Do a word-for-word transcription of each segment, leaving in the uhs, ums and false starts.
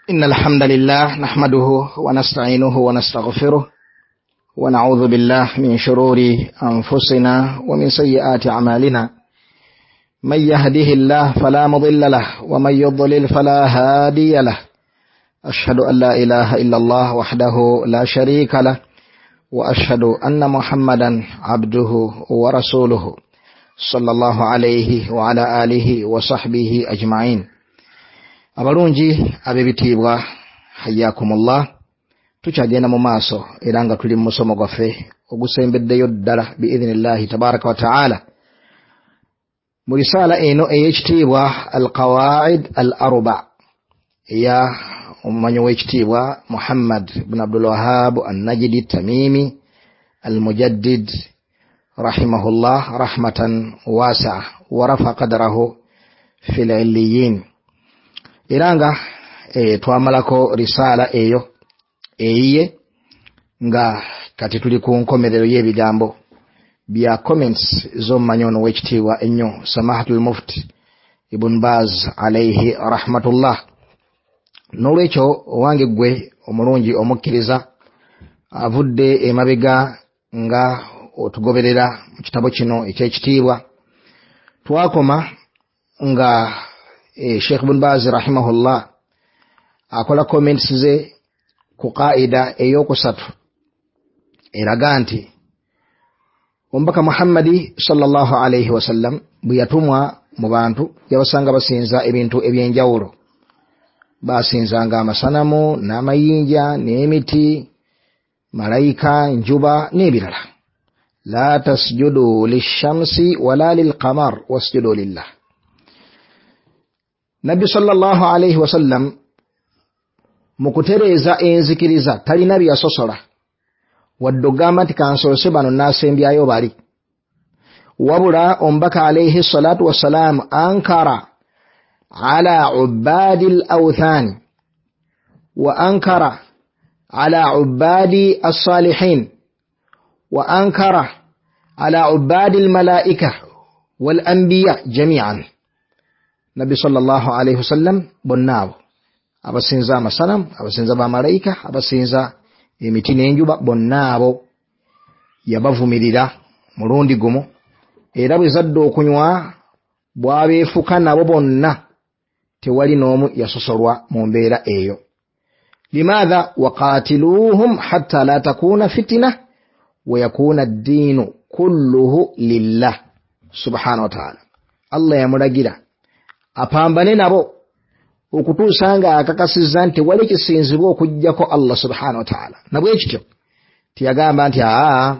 إن الحمد لله نحمده ونستعينه ونستغفره ونعوذ بالله من شرور أنفسنا ومن سيئات أعمالنا من يهده الله فلا مضل له ومن يضلل فلا هادي له أشهد أن لا إله إلا الله وحده لا شريك له وأشهد أن محمدا عبده ورسوله صلى الله عليه وعلى آله وصحبه أجمعين. Abalungi ab'ebitiibwa, hayyakumullah, tukyagenda mu maaso era nga tuli mu musomo gwaffe ogusembeddeyo ddala biidhinillahi tabaraka wa taala mu risaala eno ey'ekitiibwa Alqawaid Al Arba eya omumanyi w'ekitiibwa Muhammad bun Abdul Wahab Annajidi Tamimi Almujaddid rahimahullah rahmatan wasaa wa rafa qadrahu fi lilliyin. Era nga e, twamalako risaala eyo eyiye, nga kati tuli ku nkomerero y'ebigambo bya comments z'omumanyi ono w'ekitiibwa ennyo Samahatul Mufti Ibn Baz alayhi rahmatullah. N'olwekyo owange ggwe omulungi omukkiriza avudde emabega nga otugoberera mu kitabo kino eky'ekitiibwa, twakoma nga e, Sheikh Ibn Baz rahimahullah akola comments ze ku qaida eyokusatu eraga nti omubaka Muhammadi sallallahu alaihi wasallam bwe yatumwa mu bantu yabasanga basinza ebintu ebyenjawulo, basinzanga amasanamu n'amayinja n'emiti, malayika, njuba n'ebirala. La tasjudu lishamsi wala lilqamar wasjudu lillah. Nabbi sallallahu alaihi wasallam mu kutereeza enzikiriza talina byasosola wadde ogamba nti kansoose bano n'asembyayo bali, wabula omubaka alaihi salatu wassalam ankara ala ubadi al-awthan wa ankara ala ubadi as-salihin wa ankara ala ubadi al-malaika wal anbiya jami'an. Nabbi sallallahu alaihi wasallam bonna abo abasinza amasanamu, abasinza bamalayika, abasinza emiti n'enjuba, bonna abo yabavumirira mulundi gumu, era bwe zadde okunywa bwabeefuka nabo bonna, tewali n'omu yasosolwa mu mbeera eyo. Limaadha waqatiluuhum hatta la takuuna fitina wa yakuuna ddiinu kulluhu lillah subhanahu wa taala. Allah yamulagira apambane nabo okutuusa nga akakasizza nti wali kisinzibwa okuggyako Allah subhanahu wa taala. Nabwe kityo tiyagamba nti aa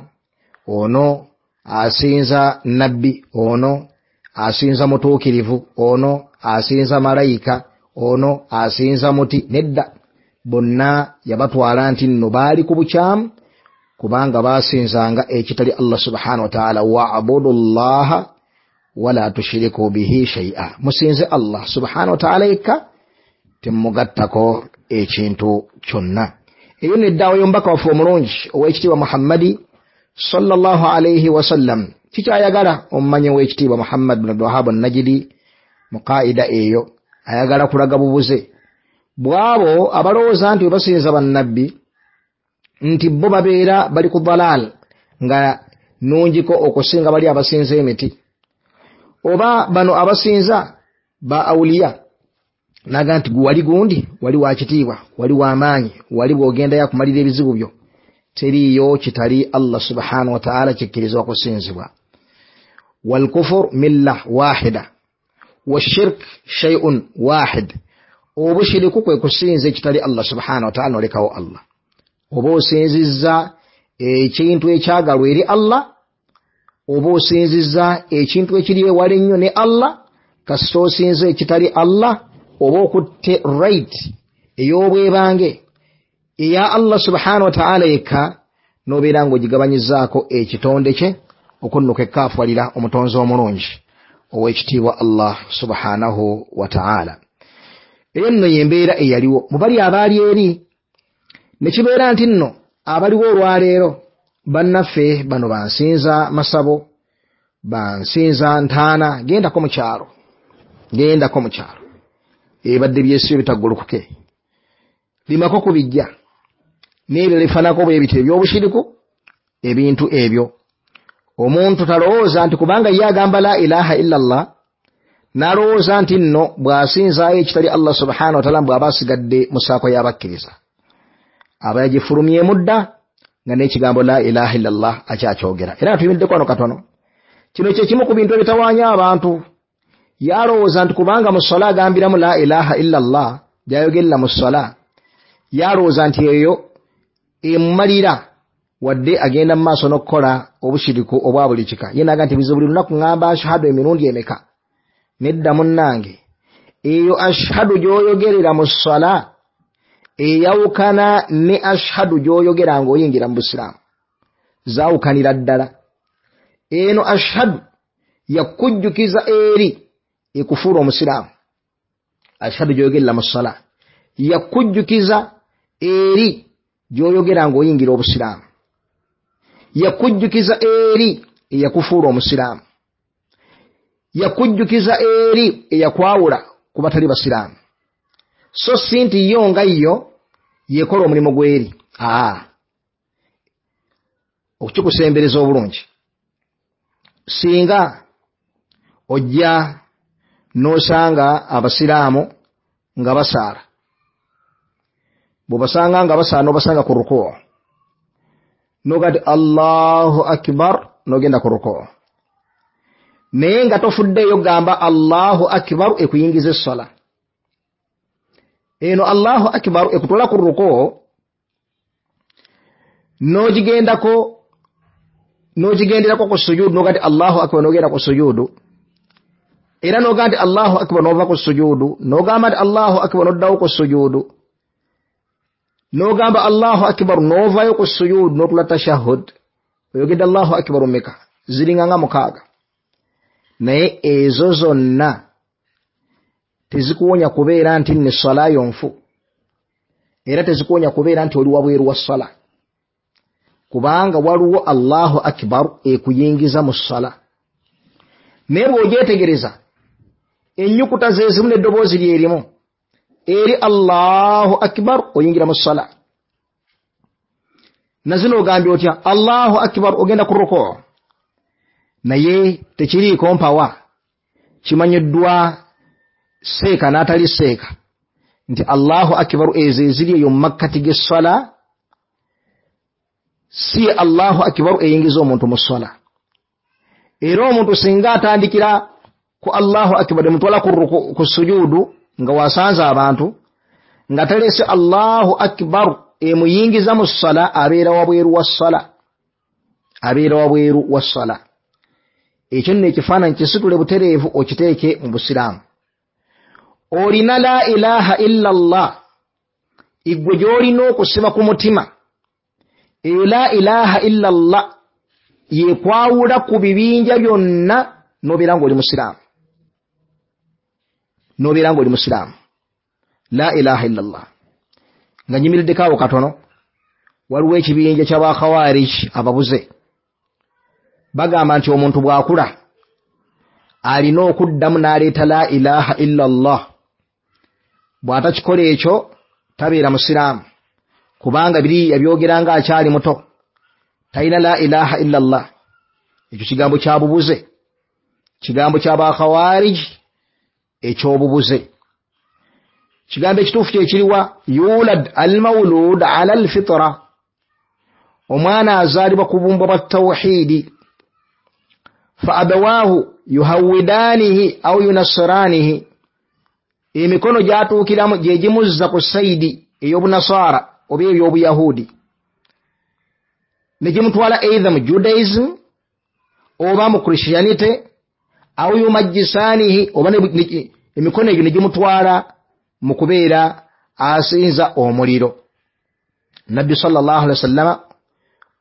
ono asinza nabbi, ono asinza mutuukirivu, ono asinza malayika, ono asinza muti. Nedda, bonna yabatwala nti nno baali ku bukyamu kubanga basinzanga ekitali Allah subhanahu wa taala. Wa'budu llaha wala tushiriku bihi shay'a, musinze Allah subhanahu wa taala yekka, temugattako ekintu kyonna. Eyo neddaawo y'omubaka waffe omulungi ow'ekitiibwa Muhammadi sallallahu alaihi wasallam. Kikyayagala omumanyi w'ekitiibwa Muhammad bin Abdul Wahhab An-Najdi mu qaida eyo ayagala kulaga bubuze bwabo abalowooza nti basinza bannabbi nti bo babeera bali ku dalal nga nungiko okusinga bali abasinza emiti, oba bano abasinza ba awuliya, naga nti wali gundi wali wakitiibwa wali wamaanyi wali bwogenda yakumalira ebizibu byo, teriiyo kitali Allah subhanahu wa taala kikkirizibwa kusinzibwa. Walkufur milla wahida washirk shay'un wahid, obushiriku kwe kusinza ekitali Allah subhanahu wa taala nolekawo Allah, oba osinzizza ekintu ekyagalwa eri Allah, oba osinzizza ekintu ekiri ewala ennyo ne Allah. Kasita osinza ekitali Allah oba okutte right ey'obwebange eya Allah subhanahu wa taala yekka, n'obeera ng'ogigabanyizaako ekitonde kye okunnuka ekkaafwalira omutonzi omulungi ow'ekitiibwa Allah subhanahu wa taala. Eyo nno y'embeera eyaliwo mu bali abaali eri, ne kibeera nti nno abaliwo olwaleero bannaffe bano bansinza masabo, bansinza ntaana, gendako mu kyalo, gendako mu kyalo ebadde byesiyo bitaggulukuke. Limako ku bijja n'ebirala ebifaananako bwe bityo eby'obushiriku. Ebintu ebyo omuntu talowooza nti kubanga ye agamba la ilaha illa Allah, n'alowooza nti nno bw'asinzaayo ekitali Allah subhanahu wa taala bw'aba asigadde mu ssaako y'abakkiriza, aba yagifulumyemu dda nga n'ekigambo la ilaha illa Allah akyakyogera. Era tuyimiddeko wano katono. Kino kye kimu ku bintu ebitawaanya abantu. Yalowooza nti kubanga mu sswala agambiramu la ilaha illa Allah gy'ayogerera mu sswala, yalowooza nti eyo emumalira wadde agenda mu maaso n'okukola obushiriku obwa buli kika. Ye n'agamba nti bizibu buli lunaku ŋŋamba ashhadu emirundi emeka. Nedda munnange, eyo ashhadu gy'oyogerera mu sswala eyawukana ne ashhadu gy'oyogera ng'oyingira mu busiraamu, zaawukanira ddala. Eno ashhadu yakujjukiza eri ekufuula omusiraamu. Ashhadu gy'oyogerera mu sswala yakujjukiza eri gy'oyogera ng'oyingira obusiraamu, yakujjukiza eri eyakufuula omusiraamu, yakujjukiza eri eyakwawula ku batali basiraamu. So si nti yo nga yo yekola omulimu gw'eri. Aa, okukikusembereza obulungi, singa ojja n'osanga abasiraamu nga basaala, bw'obasanga nga basaala n'obasanga ku rukuu, n'oga nti Allahu akbar n'ogenda ku rukuu, naye nga tofuddeeyo gamba Allahu akbar ekuyingiza esswala. Eno Allahu akbar ekutwala ku rukuu n'ogigendako n'ogigenderako ku sujuudu, n'oga nti Allahu akbar n'ogenda ku sujuudu, era n'oga nti Allahu akbar n'ova ku sujuudu, n'ogamba nti Allahu akbar n'oddawo ku sujuudu, n'ogamba Allahu akbar n'ovaayo ku sujuudu n'otula tashahhud. Oyogedde Allahu akbar mmeka? Ziringa nga mukaaga. Naye ezo zonna tezikuwonya kubeera nti nne swala yo nfu, era tezikuwonya kubeera nti oli wabweru wa swala, kubanga waliwo Allahu akbar ekuyingiza mu swala. Naye bw'ogyetegereza ennyukuta ze zimu n'eddoboozi lye limu, eri Allahu akbar oyingira mu swala. Na zino ogambye otya? Allahu akbar ogenda ku rukuu, naye tekiriiko mpawa. Kimanyiddwa seeka n'atali seeka nti Allahu akbar ezo eziri eyo mu makkati g'esswala si Allahu akbar eyingiza omuntu mu sswala. Era omuntu singa atandikira ku Allahu akbar emutwala ku sujuudu nga wasanze abantu nga talese Allahu akbar emuyingiza mu sswala, abeera wabweru wa sswala, abeera wabweru wa sswala. Ekyo nno ekifaananyi kisitule butereevu okiteeke mu busiraamu. Olina la ilaha illa Allah igwe gy'olina okusiba ku mutima. Eyo la ilaha illa Allah yekwawula ku bibinja byonna n'obeera ng'oli musiraamu, n'obeera ng'oli musiraamu. La ilaha illa Allah. Nga nyimiriddeko awo katono, waliwo ekibinja ky'abakhawarij ababuze bagamba nti omuntu bw'akula alina okuddamu n'aleeta la ilaha illa Allah, bw'atakikola ekyo tabeera musiraamu, kubanga biri yabyogera nga akyali muto, talina la ilaha illa Allah. Ekyo kigambo kya bubuze, kigambo ky'abakhawarij eky'obubuze. Kigambo ekituufu kye kiriwa? Yulad almawlud ala alfitra, omwana azaalibwa ku bumbwa bwa tawhidi. Fa abawaahu yuhawidanihi au yunasiranihi, emikono gyatuukiramu gye gimuzza ku sayidi ey'obunasaara oba eby'obuyahudi, ne gimutwala either mu Judaism oba mu Christianity, au yumajjisanihi, oba emikono egyo ne gimutwala mu kubeera asinza omuliro. Nabbi sallallahu alaihi wasallama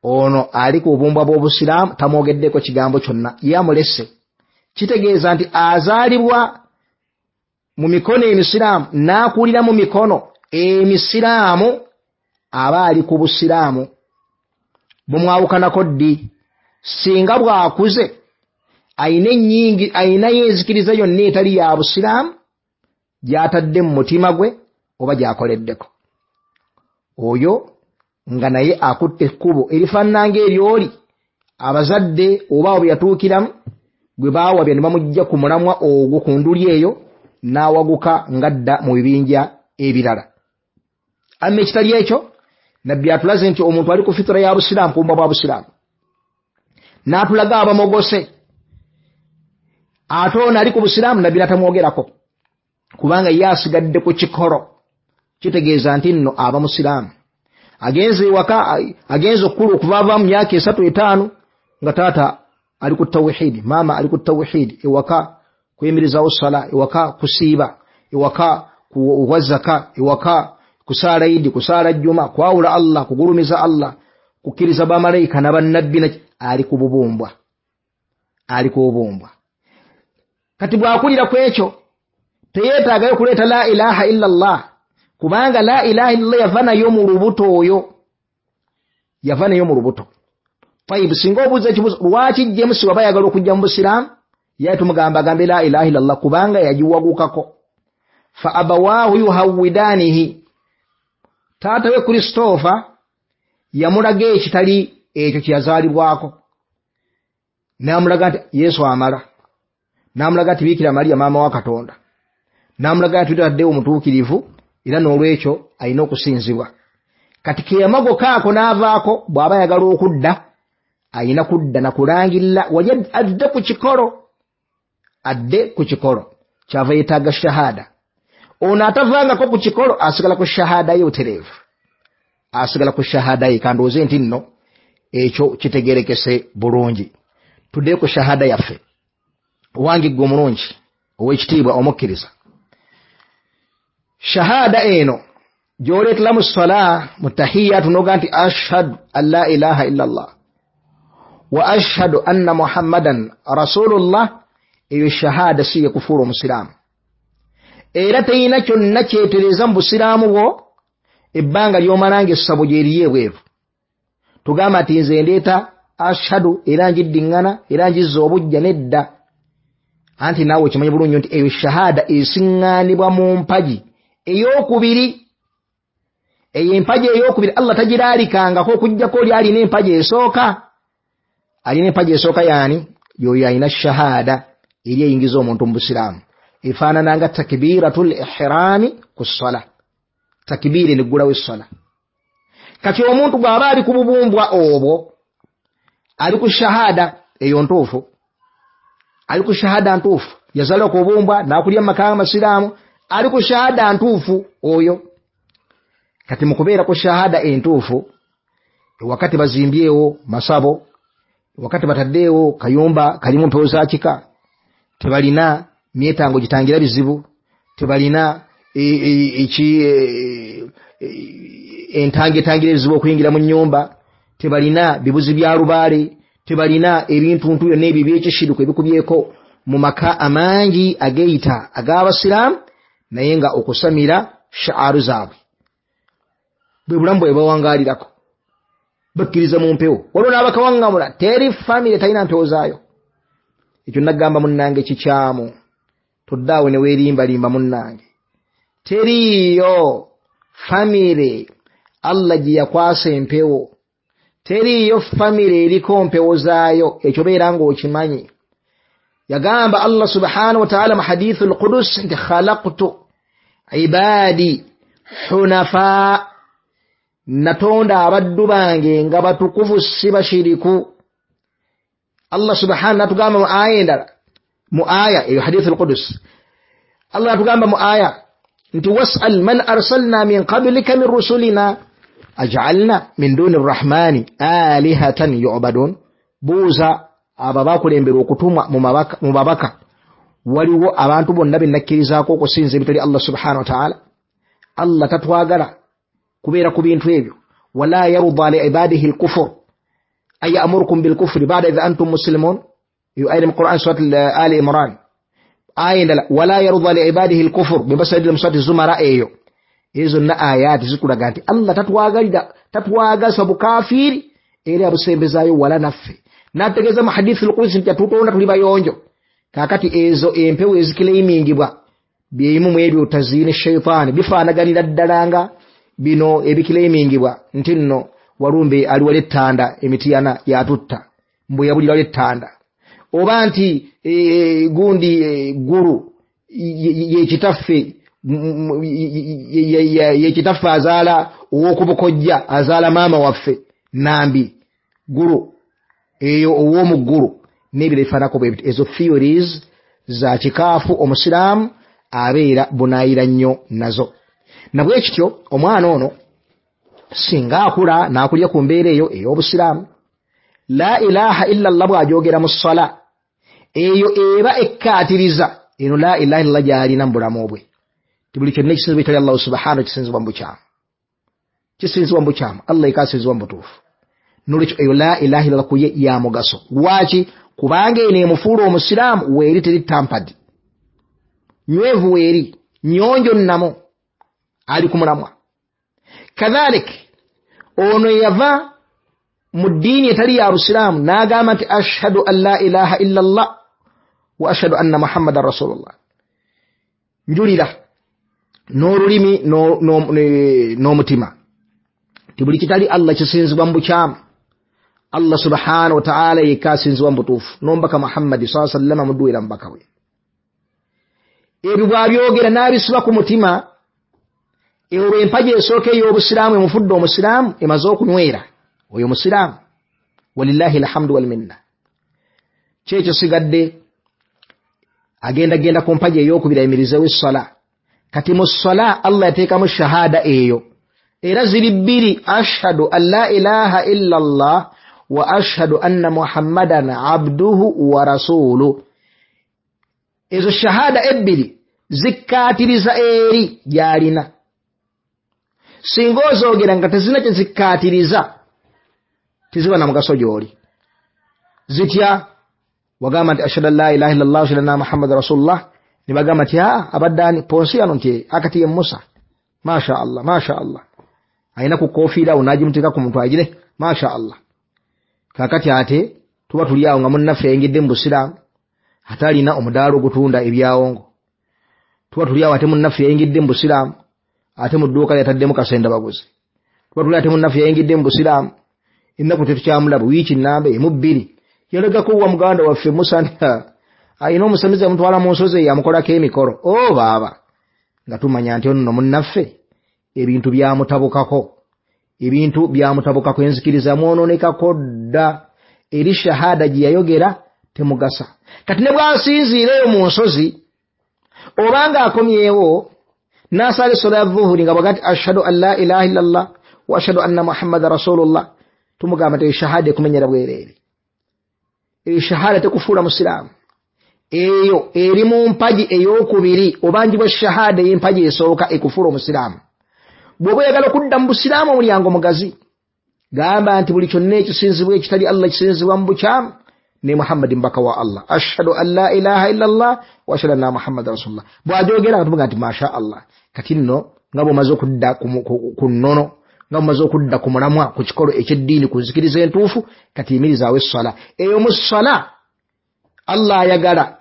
ono ali ku bubumbwa bw'obusiraamu tamwogeddeko kigambo kyonna, yamulese. Kitegeeza nti azaalibwa mu mikono emisiraamu n'akulira mu mikono emisiraamu, aba ali ku busiraamu. Bumwawukanako ddi? Singa bw'akuze ayina ennyingi, ayinayo enzikiriza yonna etali ya busiraamu gy'atadde mu mutima gwe oba gy'akoleddeko. Oyo nga naye akutte ekkubo erifaanana ng'eryoli abazadde oba abo yatuukiramu gwe baawabya ne bamujja ku mulamwa ogwo ku nduli eyo n'awaguka ng'adda mu bibinja ebirala. Amma ekitali ekyo, Nabbi atulaze nti omuntu ali ku fitira ya busiraamu, kubumba bwa busiraamu, n'atulaga abamogose. Ate ono ali ku busiraamu Nabbi n'atamwogerako kubanga ye asigadde ku kikolo, kitegeeza nti nno aba musiraamu. Agenze ewaka, agenze okukula okuva mu myaka esatu etaano nga taata ali ku tawhidi, maama ali ku tawhidi, ewaka kuyimirizaawo sala, ewaka kusiiba, ewaka kuwa zaka, ewaka kusaala idi, kusaala jjuma, kwawula Allah, kugulumiza Allah, kukkiriza bamalayika n'abannabbi, ali ku bubumbwa, ali ku bubumbwa. Kati bw'akulira ku ekyo teyeetaagayo kuleeta la ilaha illa Allah, kubanga la ilaha illallah yava nayo mu lubuto oyo, yava nayo mu lubuto. Tayibu, singa obuuza ekibuuzo lwaki James waba ayagala okujja mu busiraamu, ye tumugamba agambe la ilaha illallah kubanga yagiwagukako. Fa abawaahu yuhawwidaanihi, taata we Christopher yamulaga ekitali ekyo kye yazaalibwako, n'amulaga nti Yesu amala, n'amulaga nti Biikira Mariya maama wa Katonda, n'amulaga nti tutaddewo omutuukirivu era n'olwekyo alina okusinzibwa. Kati ke yamagoka ako n'avaako, bw'aba ayagala okudda alina kudda na kulangirira wali adde ku kikolo, adde ku kikolo kyava yeetaaga shahada. Ono atavangako ku kikolo asigala ku shahada ye butereevu, asigala ku shahada ye. Kandowooze nti nno ekyo kitegerekese bulungi. Tuddeyo ku shahada yaffe. Owange ggwe omulungi ow'ekitiibwa omukkiriza, shahada eno gy'oleetera mu sala mu tahiyatu n'oga nti ashhadu an la ilaha illa Allah wa ashhadu anna Muhammadan rasulullah, eyo shahada si yekufuula omusiraamu, era teyina kyonna kyetereza mu busiraamu bwo ebbanga ly'omala ng'essabo gyeriyo ebweru. Tugamba nti nze ndeeta ashhadu era njiddiŋŋana era njizza obujja, nedda. Anti naawe okimanyi bulungi nti eyo shahada esiŋŋaanibwa mu mpagi ey'okubiri. Eyo empagi ey'okubiri Allah tagiraalikangako okuggyako oli alina empagi esooka. Alina empagi esooka yaani? Y'oyo alina shahada eri eyingiza omuntu mu busiraamu, efaanana nga takbiratul ihrami ku ssala, takbiiri neggulawo essala. Kati omuntu bw'aba ali ku bubumbwa obwo, ali ku shahada eyo ntuufu, ali ku shahada ntuufu, yazaalibwa ku bubumbwa n'akulya mu maka g'amasiraamu, ali ku shahada ntuufu oyo. Kati mu kubeera ku shahada entuufu, wakati bazimbyewo masabo, wakati bataddeewo kayumba kalimu mpewo za kika, tebalina myetango gitangira bizibu, tebalina entange etangira ebizibu okuyingira mu nnyumba, tebalina bibuzi bya lubaale, tebalina ebintuntu byonna ebyo ebyekishiruko ebikubyeko mu maka amangi ageyita ag'abasiraamu, naye nga okusamira shaaru zaabwe bwe bulamu bwe bawangaalirako, bakkiriza mu mpewo. Waliwo n'abakawaŋŋamula, teri famire talina mpewo zaayo. Ekyo nagamba munnange kikyamu, toddaawo ne weerimbalimba munnange. Teriiyo famire Allah gye yakwasa empewo, teriiyo famire eriko mpewo zaayo, ekyo beera ng'okimanyi. Yagamba Allah subhanahu wa ta'ala mu hadithu al-Qudus nti khalaqtu ibadi hunafa, natonda abaddu bange nga batukuvu si bashiriku. Allah subhanahu natugamba mu aya endala, mu aya eyo hadithu al-Qudus, Allah natugamba mu aya nti was'al man arsalna min qablika min rusulina aj'alna min duni rrahmani alihatan yu'badun, buuza abo abakulembera okutumwa mu babaka, waliwo abantu bonna be nakkirizaako okusinza ebitali Allah subhanahu wa ta'ala. Allah tatwagala kubeera ku bintu ebyo. Wala yarda li ibadihi al-kufr ay ya'murukum bil-kufri ba'da idh antum muslimun, eyo aya mu Quran surat Ali Imran. Aya endala wala yarda li ibadihi al-kufr bwe mu surat Zumara. Eyo ezo zonna ayaati zikulaga nti Allah tatwagalira, tatwagaza bukafiiri era abusembezaayo wala naffe. N'ategeeza mu hadithi al-Qudsi nti atutonda tuli bayonjo. Kaakati ezo empewo ezikileimingibwa byeyimu mu ebyo taziini shaitaani bifaanaganira ddala nga Bino ebikiraimingibwa nti nno Walumbe ali wali ettanda emitiyana yatutta mbu yabulira wali ettanda, oba nti e, gundi e, gulu yekitaffe yekitaffe azaala ow'okubukojja azaala maama waffe Nambi gulu eyo ow'omuggulu n'ebiro ebifaananako bwe bityo. Ezo theories za kikaafu omusiraamu abeera bunaayira nnyo nazo. Nabwe kityo omwana ono singa akula n'akulya ku mbeera eyo ey'obusiraamu, la ilaha illa Allah bw'agyogera mu ssala eyo eba ekkaatiriza eno la ilaha illallah gy'alina mu bulamu bwe. Ti buli kyonna ekisinzibwa ekitali Allahu subhanahu kisinzibwa mu bukyamu, kisinzibwa mu bukyamu, Allah yekka asinzibwa mu butuufu. Nolwekyo eyo la ilaha illallah ku ye ya mugaso. Lwaki? Kubanga eno emufuula omusiraamu weeri teri tampadi, nywevu weeri, nyonjo nnamu, ali ku mulamwa. Kadhalik ono yava mu ddiini etali ya busiraamu n'agamba nti ashhadu an la ilaha illa Allah wa ashhadu anna muhammadan rasulullah, njulira n'olulimi n'omutima nti buli kitali Allah kisinzibwa mu bukyamu, Allah subhanahu wa ta'ala yekka asinzibwa mu butuufu, n'omubaka Muhammadi sallallahu alaihi wasallam mudduwera mubaka we. Ebyo bw'abyogera n'abisiba ku mutima, olwo empagi esooka ey'obusiraamu emufudde omusiraamu emaze okunywera oyo musiraamu, walillahi alhamdu wal minna. Kyekyo sigadde agenda genda ku mpagi ey'okubiri ayimirizeewo essala. Kati mu ssala Allah yateekamu shahada eyo, era ziri bbiri, ashhadu an la ilaha illa Allah wa ashhadu anna muhammadan abduhu wa rasuluhu. Ezo shahada ebbiri zikkaatiriza eri gy'alina. Singa ozoogera nga tezirina kye zikkaatiriza teziba na mugaso gy'oli. Zitya? Wagamba nti ashhadu an la ilaha illallah wa ashhadu anna muhammadan rasulullah, ne bagamba nti aa abadde ani Ponsiyano nti akati ye Musa, masha Allah masha Allah, alina ku kofiira awo n'agimuteeka ku muntu agire masha Allah. Kaakati ate tuba tuli awo nga munnaffe yayingidde mu busiraamu ate alina omudaala ogutunda ebyawongo, tuba tuli awo ate munnaffe yayingidde mu busiraamu ate mu dduuka lyataddemu kasenda baguzi, tuba tuli ate munnaffe yayingidde mu busiraamu ennaku tetukyamulaba wiiki nnamba emu bbiri yalagako wa muganda waffe Musa nti alina omusamize amutwala mu nsozi eyo amukolako emikolo. O baaba, nga tumanya nti ono munnaffe ebintu byamutabukako, ebintu byamutabukako, enzikiriza mwonoonekako dda, eri shahada gye yayogera temugasa. Kati ne bw'asinziira eyo mu nsozi obanga akomyewo n'asala essola ya dhuhuri nga bw'agamba nti ashhadu an la ilaha illallah wa ashhadu anna muhammadan rasulullah, tumugamba nti eyo shahada ekumenyera bwereere, eyo shahada tekufuula musiraamu. Eyo eri mu mpagi ey'okubiri, obanjibwa shahada ey'empagi esooka ekufuula omusiraamu. Bw'oba oyagala okudda mu busiraamu omulyango mugazi, gamba nti buli kyonna ekisinzibwa ekitali Allah kisinzibwa mu bukyamu, ne Muhammadi mbaka wa Allah, ashhadu an la ilaha illa Allah wa ashhadu anna muhammadan rasulullah. Bw'agyogera nga tumugamba nti masha Allah. Kati nno nga bw'omaze okudda ku nnono, nga bw'omaze okudda ku mulamwa, ku kikolo eky'eddiini, ku nzikiriza entuufu, kati yimirizaawo esswala eyo. Mu sswala Allah ayagala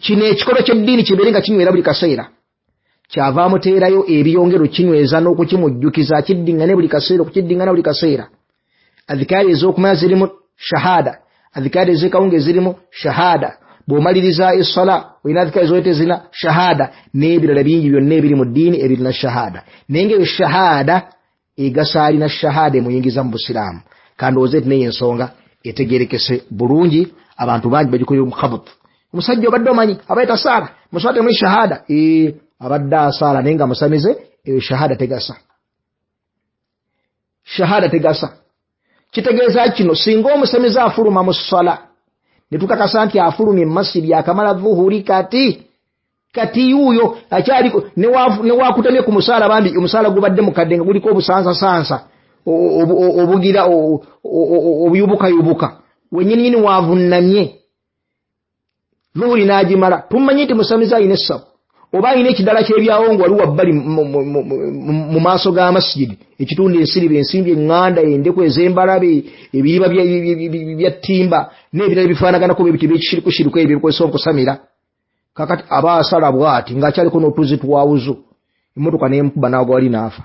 kino ekikolo ky'eddiini kibeere nga kinywera buli kaseera, kyava amuteerayo ebiyongero kinyweza n'okukimujjukiza, akiddiŋŋane buli kaseera, okukiddiŋŋana buli kaseera. Adhikaari ez'okumanya zirimu shahada, adhikaari ez'ekawunga ezirimu shahada, bw'omaliriza esswala olina adhikaari zoyita ezirina shahada, n'ebirala bingi byonna ebiri mu ddiini ebirina shahada. Naye ng'eyo shahada egasa alina shahada emuyingiza mu busiraamu. Kandowooze nti n'eyo ensonga etegeerekese bulungi, abantu bangi bagikolera omukabutu. Omusajja obadde omanyi abaye tasaala, muswala temuli shahada, ee abadde asaala naye nga musamize, eyo shahada tegasa, shahada tegasa. Kitegeeza kino, singa omusamize afuluma mu sswala ne tukakasa nti afulumye mu masjidi akamala dhuhuri, kati kati yuuyo akyali ne wakutamye ku musaala, bambi omusaala gubadde mukadde nga guliko obusansasansa obugira obuyubukayubuka, wennyininyini wavunnamye dhuhuri n'agimala, tumanyi nti musamize alina essabo oba alina ekidala ky'ebyawongo wali wabbali mu maaso ga masjidi, ekitunda ensiriba, ensimbi eŋŋanda, endeku ez'embalabe, ebiriba bya ttimba n'ebirala ebifaanaganako bwe bityo ebyekishirikushiriku ebyo ebikozesa okusamira. Kakati aba asala bw'ati ng'akyaliko n'otuzi twawuzu, Emmotoka n'emukuba n'agwa wali n'afa.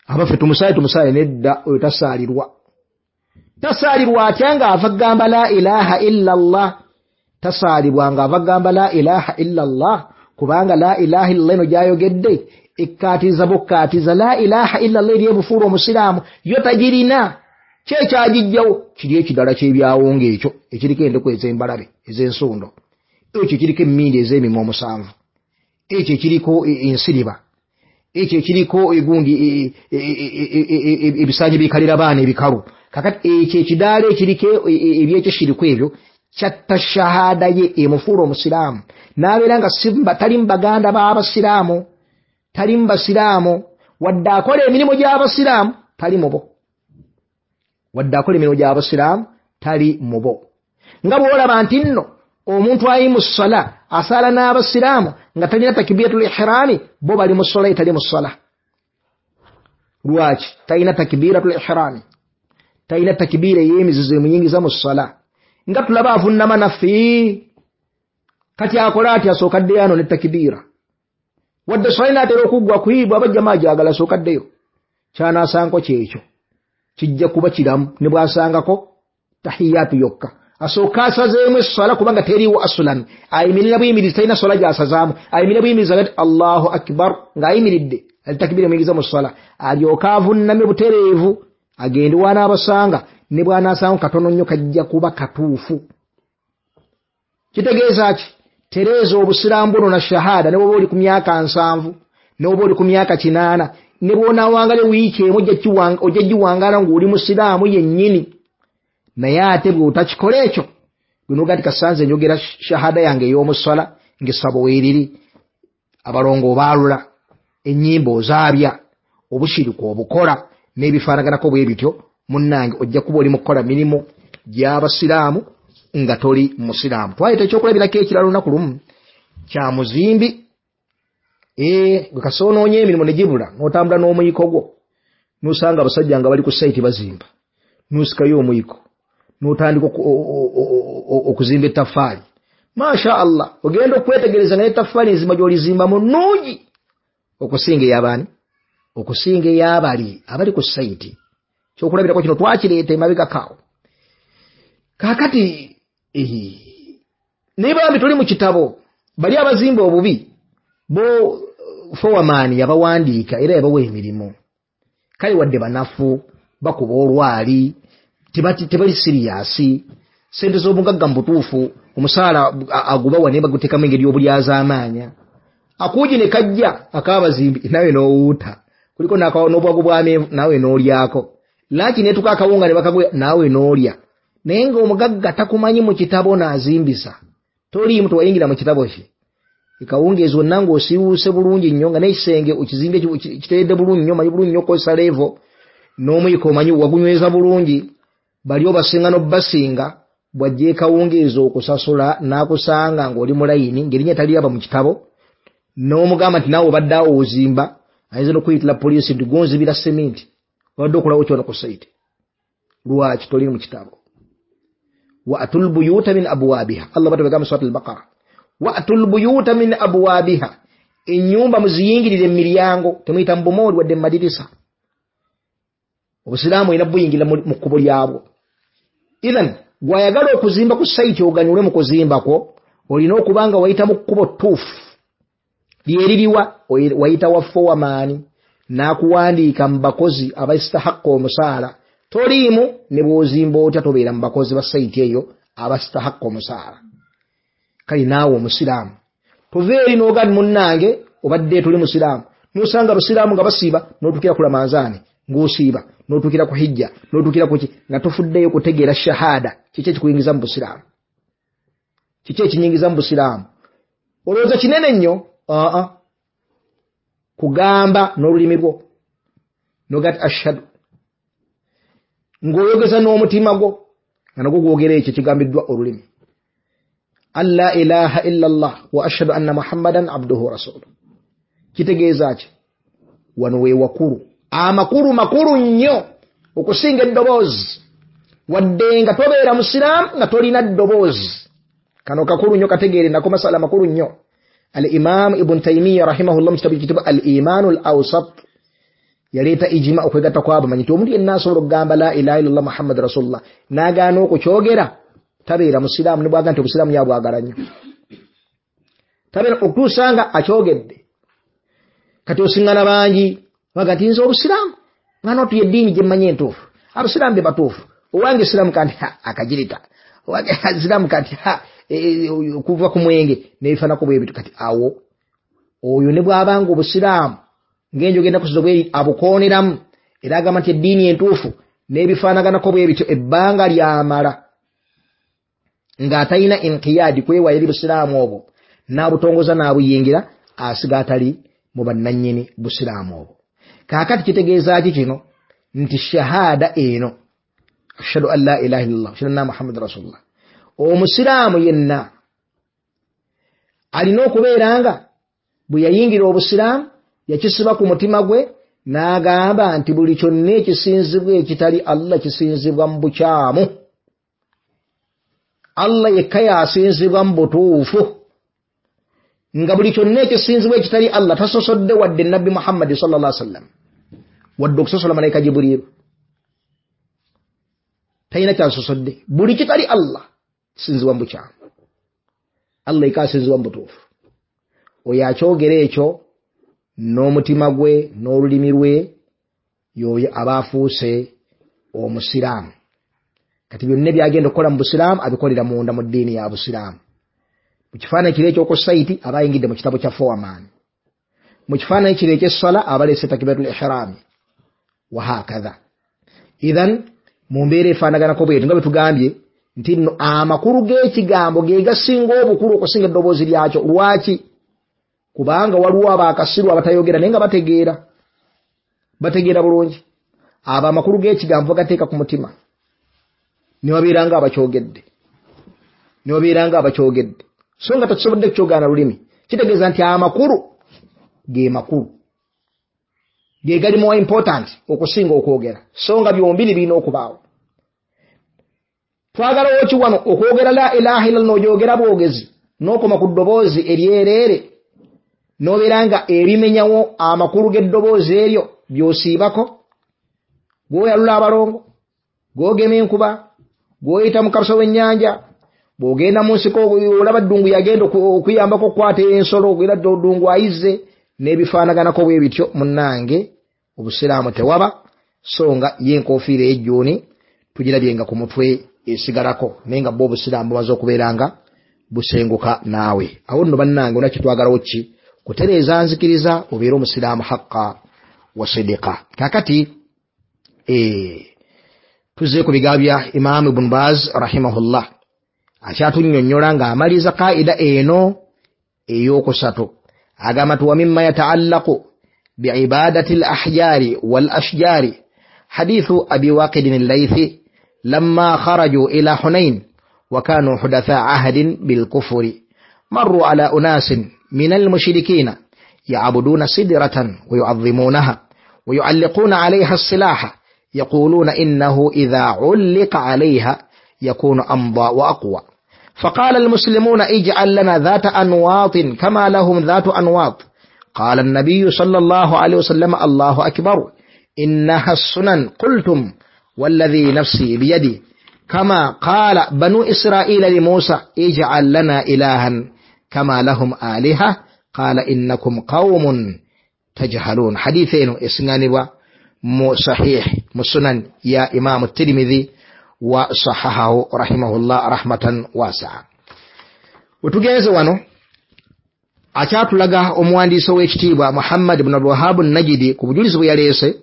Abaffe tumusaale tumusaale nedda, oyo tasaalirwa. Tasaalirwa atya ng'ava kugamba la ilaha illa Allah? Tasaalibwa ng'ava kugamba la ilaha illa Allah, kubanga la ilaha illa eno gy'ayogedde ekkaatiza bukkaatiza la ilaha illa Allah eri ebufuula omusiraamu, yo tagirina. Ki ekyagijjawo? Kiri ekidala ky'ebyawongo ekyo ekiriko endeku ez'embalabe ez'ensundo, ekyo ekiriko emmindi ez'emimwa omusanvu, ekyo ekiriko ensiriba, ekyo ekiriko egundi ebisaanyi bikalira baana ebikalu. Kakati ekyo ekidaala ekiriko ebyekishiriku ebyo kyatta shahada ye emufuula omusiraamu, n'abeera nga tali mu baganda b'abasiraamu, tali mu basiraamu, wadde akola emirimu gy'abasiraamu tali mu bo, wadde akola emirimu gy'abasiraamu tali mu bo. Nga bw'olaba nti nno omuntu ayi mu ssala asaala n'abasiraamu nga talina takbiratul ihrami, bo bali mu ssala ye tali mu ssala. Lwaki? Talina takbiratul ihrami, talina takbira ey'emizizo emuyingiza mu ssala. Nga tulaba avunnama naffe, kati akola atya? Asooka addeyo ano ne takbira, wadde ssala inaatera okuggwa kuyibwa abajjamaa gyagala asooka addeyo. Ky'anaasanko kyekyo kijja kuba kiramu ne bw'asangako tahiyaatu yokka. Asooka asazeemu esswala kubanga teriiwo asulan, ayimirira buyimirizi, talina swala gy'asazaamu, ayimirira buyimirizi agati Allahu akbar ng'ayimiridde takbira emuyingiza mu sswala, alyoka avunname butereevu agende w'anaabasanga, ne bw'anaasanga katono nnyo kajja kuba katuufu. Kitegeeza ki? Tereeza obusiraamu buno na shahada, ne bw'oba oli ku myaka nsanvu, ne bw'oba oli ku myaka kinaana, ne bw'onaawangala wiiki emu ojja giwangaala ng'oli musiraamu yennyini. Naye ate bw'otakikola ekyo, gwe n'oga nti kasanze njogera shahada yange ey'omusala ng'essabo weeriri, abalongo obaalula, ennyimba ozaabya, obushiriku obukola n'ebifaanaganako bwe bityo, munnange ojja kuba oli mu kukola mirimu gy'abasiraamu nga toli musiraamu. Twaleeta ekyokulabirako ekirala olunaku lumu kya muzimbi, ee gwe kasoonoonya emirimu ne gibula, n'otambula n'omuyiko gwo, n'osanga abasajja nga bali ku sayiti bazimba, n'osikayo omuyiko n'otandika okuzimba ettaffaali. Masha Allah, ogenda okwetegereza nga n'ettaffaali enzimba gy'olizimbamu nnungi okusinga ey'abaani, okusinga ey'abali abali ku sayiti. Kyokulabirako kino twakireeta emabegako awo. Kaakati naye bambi tuli mu kitabo, bali abazimba obubi bo fowaman yabawandiika era yabawa emirimu, kale wadde banafu bakuba olwali, tebali siriyasi, sente z'obugagga mu butuufu omusaala agubawa naye baguteekamu engeri y'obulyazaamaanya. Akuugi ne kajja ak'abazimbi nawe n'owuuta, kuliko n'obwagu bw'amenvu naawe n'olyako, laaki neetuka akawunga ne bakaguya naawe n'olya. Naye ng'omugagga takumanyi mu kitabo n'azimbisa, toliimu tewayingira mu kitabo kye. Ekawungeezi wonna ng'osiiwuuse bulungi nnyo, nga n'ekisenge okizimbe kiteredde bulungi nnyo, omanyi bulungi nnyo okozesa levo, n'omuyiko omanyi wagunyweza bulungi, bali obasinga n'obbasinga, bw'ajja ekawungeezi okusasula n'akusanga ng'oli mu layini ng'erinnya taliraba mu kitabo, n'omugamba nti naawe obadde awo ozimba, ayinza n'okuyitira poliisi nti gonzibira seminti, obadde okolawo kyona ku sayiti. Lwaki toli mu kitabo? Wa'tul buyuta min abwabiha, Allah bw'atugamba mu Surat al-Baqara, wa'tul buyuta min abwabiha, ennyumba muziyingirire emiryango, temuyita mu bumooli wadde mu madirisa. Obusiraamu olina buyingira mu kkubo lyabwo. Ithan gw'ayagala okuzimba ku sayiti oganyulwe mu kuzimba kwo, olina okuba nga wayita mu kkubo ttuufu lyeririwa, wayita wa fowamaani n'akuwandiika mu bakozi abasitahakka omusaala. Toliimu ne bw'ozimba otya tobeera mu bakozi ba sayiti eyo abasitahakka omusaala. Kale naawe omusiraamu tuva eri n'oga munnange obadde tuli musiraamu, n'osanga abasiraamu nga basiiba, n'otuukira ku Ramanzaani ng'osiiba, n'otuukira ku hijja, n'otuukira ku ki, nga tofuddeyo kutegeera shahada. Kiki ekikuyingiza mu busiraamu? Kiki ekinyingiza mu busiraamu? Olowooza kinene nnyo? Aa, kugamba n'olulimi lwo n'oga nti ashhadu, ng'oyogeza n'omutima gwo nga nagwo gwogera ekyo ekigambiddwa olulimi, an la ilaha illa Allah wa ashhadu anna Muhammadan abduhu wa rasuluh. Kitegeeza ki? Wano we wakulu, amakulu makulu nnyo okusinga eddoboozi. Wadde nga tobeera musiraamu nga tolina ddoboozi, kano kakulu nnyo, kategeere nako masala makulu nnyo. Al-Imam Ibn Taymiyyah rahimahullah mu kitabo ekiyitibwa Al-Imanu Al-Awsat yaleeta ijima, okwegatta kw'abamanyi nti omuntu yenna asobola okugamba la ilaha illallah Muhammad rasulullah n'agaana okukyogera tabeera musiraamu, ne bw'aga nti obusiraamu yabwagala nnyo, tabeera okutuusa nga akyogedde. Kati osiŋŋana bangi baga nti nze obusiraamu nga notu yeddiini gye mmanyi entuufu, abasiraamu be batuufu, owange siraamu kanti ha akagirita, owange siraamu kanti ha okuva ku mwenge n'ebifaanako bwe bityo. Kati awo oyo ne bw'abanga obusiraamu ng'enjogera ennaku zino bweri abukooneramu, era agamba nti eddiini entuufu n'ebifaanaganako bwe bityo, ebbanga lyamala ng'atalina inqiyaadi kwewaayo eri busiraamu obwo n'abutongoza n'abuyingira, asiga atali mu bannannyini busiraamu obwo. Kaakati kitegeeza ki kino? Nti shahada eno, ashhadu an la ilaha illallah ashhadu anna Muhammad rasulullah, omusiraamu yenna alina okubeera nga bwe yayingira obusiraamu yakisiba ku mutima gwe n'agamba nti buli kyonna ekisinzibwa ekitali Allah kisinzibwa mu bukyamu, Allah yekka yasinzibwa mu butuufu, nga buli kyonna ekisinzibwa ekitali Allah tasosodde wadde Nabbi Muhammad sallallahu alaihi wasallam, wadde okusosola malayika Jibriilu, talina kyasosodde. Buli kitali Allah kisinzibwa mu bukyamu, Allah yekka asinzibwa mu butuufu. Oyo akyogera ekyo n'omutima gwe n'olulimi lwe, y'oyo aba afuuse omusiraamu. Kati byonna byagenda okukola mu busiraamu abikolera munda mu ddiini ya busiraamu. Mu kifaananyi kiri eky'oku sayiti aba ayingidde mu kitabo kya Foreman, mu kifaananyi kiri eky'esswala aba aleese takbiratul ihraami, wahakadha. Idhan mu mbeera efaanaganako bwetyo nga bwe tugambye nti nno amakulu g'ekigambo ge gasinga obukulu okusinga eddoboozi lyakyo. Lwaki? Kubanga waliwo abakasiru abatayogera naye nga bategeera, bategeera bulungi. Abo amakulu g'ekigambo bagateeka ku mutima ne babeera nga abakyogedde, ne babeera nga abakyogedde, so nga tekisobodde kukyogaana lulimi. Kitegeeza nti amakulu ge makulu, ge gali more important okusinga okwogera, so nga byombiri birina okubaawo. Twagala woki wano okwogera la ilaha illallah n'ogyogera bwogezi n'okoma ku ddoboozi eryereere, n'obeera nga ebimenyawo amakulu g'eddoboozi eryo by'osiibako, gw'oyalula abalongo, gw'ogema enkuba, gw'oyita mu kabusa w'ennyanja, bw'ogenda mu nsiko olaba ddungu yagenda okuyambako okukwata ensolo, era ddungu ayizze n'ebifaanaganako bwe bityo. Munnange obusiraamu tewaba, so nga ye enkofiira ey'ejjuuni tugirabye nga ku mutwe esigalako, naye nga bwo obusiraamu bumaze okubeera nga busenguka naawe. Awo nno bannange ona kitwagalawo ki? Kutereeza nzikiriza obeere omusiraamu haqqa wa sidiqa. Kaakati eh, tuzze ku bigambo bya Imaamu Ibn Baz rahimahullah, akyatunnyonnyola ng'amaliza kaida eno ey'okusatu. Agamba nti wa mimma yataallaqu biibadati al-ahjari wal ashjari hadithu Abi Waqidin al-Laythi lamma kharaju ila Hunain wa kanu hudatha ahdin bilkufri marru ala unasin min al-mushrikina ya'buduna sidratan wa yu'azzimunaha wa yu'alliquna 'alayha as-silaha yaquluna innahu idha 'ulliqa 'alayha yakunu amda wa aqwa. فقال المسلمون اجعل لنا ذات أنواط كما لهم ذات أنواط. قال النبي صلى الله عليه وسلم الله أكبر إنها السنن. قلتم والذي نفسي بيدي كما قال بنو إسرائيل لموسى اجعل لنا إلها كما لهم آلهة قال إنكم قوم تجهلون. حديثين إسنانبا صحيح مسنن يا إمام الترمذي وصححه رحمه الله رحمة واسعة. Wetugenze wano akyatulaga omuwandiisi ow'ekitiibwa Muhammad ibn Abdul Wahhab an-Najdi ku bujulizi bwe yaleese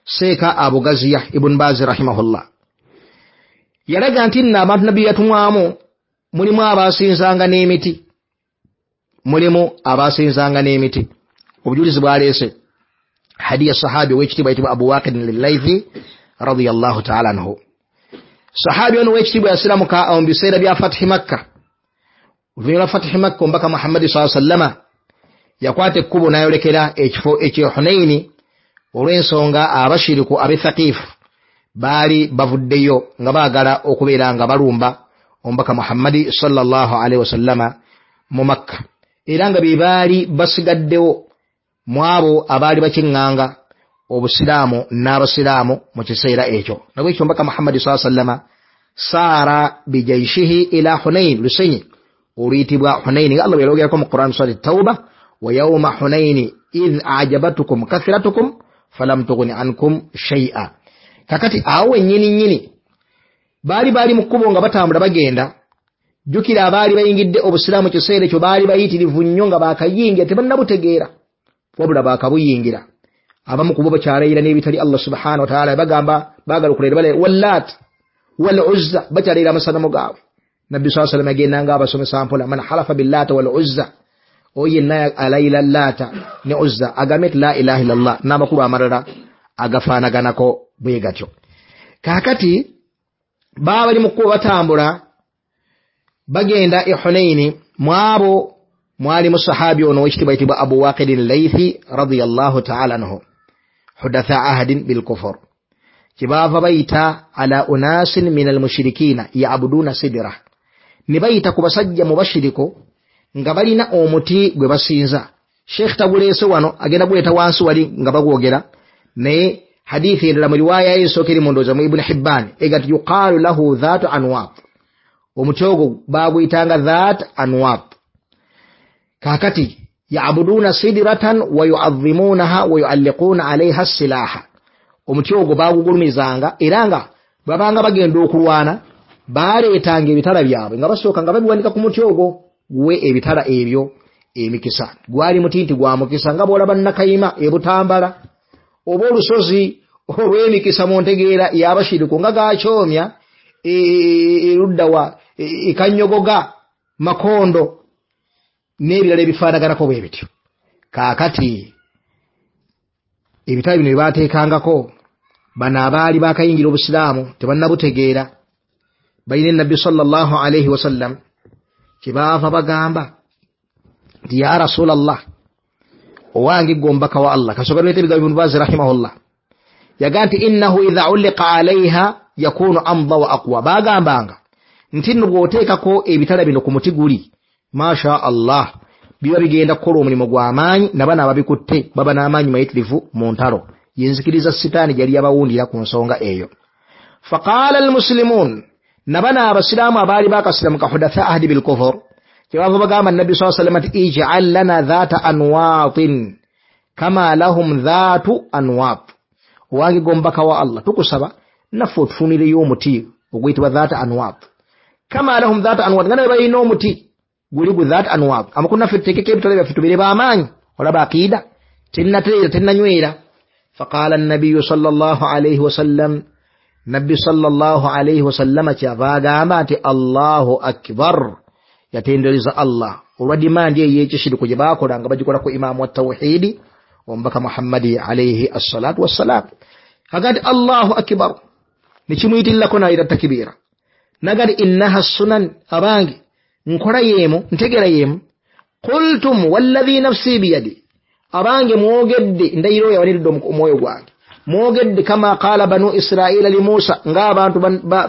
Seeka Abugaziya Ibn Baz rahimahullah. Yalaga nti nno abantu nabbi yatumwamu mulimu abasinzanga n'emiti, mulimu abasinzanga n'emiti. Obujulizi bwaleese hadiya sahabi ow'ekitiibwa ayitibwa Abu Waqid al-Laythi radiyallahu ta'ala anhu. Sahabi ono ow'ekitiibwa yasiramuka mu biseera bya Fatihi Makka. Oluvannyuma lwa Fatihi Makka omubaka Muhammadi sallallahu alaihi wasallama yakwata ekkubo n'ayolekera ekifo eky'e Hunaini olw'ensonga abashiriku ab'e Thaqifu baali bavuddeyo nga baagala okubeera nga balumba omubaka Muhammadi sallallahu alaihi wasallama mu Makka. era nga be baali basigaddewo mu abo abaali bakiŋŋanga obusiraamu n'abasiraamu mu kiseera ekyo. Nabwekyo Omubaka Muhammadi saa sallama saara bijaishihi ila Hunain, lusenyi oluyitibwa Hunaini nga Allah bwe yalwogerako mu Quran surati Tauba, wa yauma Hunaini idh ajabatukum kathiratukum falam tughni ankum shay'a. Kakati awo wennyini nnyini baali baali mu kkubo nga batambula bagenda. Jjukira abaali bayingidde obusiraamu kiseera ekyo baali bayitirivu nnyo nga baakayingira tebannabutegeera, wabula baakabuyingira. Abamu ku bo bakyalayira n'ebitali Allah subhanahu wa ta'ala, bagamba baagala okulayira balayira wallat wal uzza, bakyalayira amasanamu gaabwe. Nabbi saa sallam agendanga abasomesa mpola, man halafa billata wal uzza, oyo yenna alayira Laata ne Uzza agambe nti la ilaha illallah, n'amakulu amalala agafaanaganako bwe gatyo. Kaakati baba bali mu kkubo batambula bagenda e Hunaini, mu abo mwalimu sahabi ono ow'ekitiibwa ayitibwa Abu Waqidin Laythi radiyallahu ta'ala anhu, hudatha ahadin bilkufur. Kyebaava bayita ala unasin min almushirikina yabuduna sidira, ne bayita ku basajja mu bashiriko nga balina omuti gwe basinza. Sheikh taguleese wano, agenda guleeta wansi wali nga bagwogera, naye hadithi endala mu riwaaya esooka eri mu ndowooza mu Ibn Hibban ega nti yuqaalu lahu dhaatu anwaat, omuti ogwo baaguyitanga dhaat anwaat. Kaakati yabuduna sidiratan wa yuadhimunaha wa yualliquuna alaiha silaha, omuti ogwo baagugulumizanga era nga babanga bagenda okulwana baleetanga ebitala byabwe nga basooka nga babiwanika ku muti ogwo guwe ebitala ebyo emikisa. Gwali muti nti gwa mukisa nga bw'olaba Nakayima e Butambala oba olusozi olw'emikisa mu ntegeera y'abashiriku nga gakyomya erudda wa ekanyogoga Makondo n'ebirala ebifaanaganako bwe bityo. Kaakati ebitala bino bye baateekangako bano abaali baakayingira obusiraamu tebannabutegeera, balina Nabbi sallallahu alaihi wasallam kyebaava bagamba nti ya Rasulallah, owange ggwe omubaka wa Allah. Kasooka tuleete ebigambo Ibn Baz rahimahullah, yagaa nti innahu idha ulliqa alaiha yakunu amda wa aqwa. Baagambanga nti nno bw'oteekako ebitala bino ku muti guli, masha Allah, biba bigenda kukola omulimu gw'amaanyi, nabano ababikutte baba n'amaanyi mayitirivu mu ntalo. Yenzikiriza sitaani gyali yabawundira ku nsonga eyo. Faqaala almuslimuun, nabano abasiraamu abaali baakasiramuka hudatha ahdi bilkufur, kyebava bagamba Nabbi saa sallam nti ij'al lana dhaata anwaatin kama lahum dhaatu anwaat, owange gwe omubaka wa Allah, tukusaba naffe otufunireyo omuti oguyitibwa dhaata anwaat, kama lahum dhaata anwaat, nga nabe balina omuti guli gu dhaat anwaat, amakulu naffe tuteekeko ebitole byaffe tubeere b'amaanyi. Olaba aqiida tennatereera tennanywera. Faqaala nabiyu sallallahu alaihi wasallam, Nabbi sallallahu alaihi wasallama kyava agamba nti Allahu akbar, yatendereza Allah olwa dimandi ey'ekishiriku gye baakola nga bagikola ku imaamu wa tawhidi omubaka Muhammadi alaihi assalatu wassalam. Aga nti Allahu akbar, nekimuyitirirako n'ayita takibiira, naga nti innaha sunan, abange nkola yeemu ntegera yeemu. Qultum walladhi nafsi biyadi, abange mwogedde, ndayiro yawaniridde omwoyo gwange, mwogedde kama qaala banu israila li Musa, ng'abantu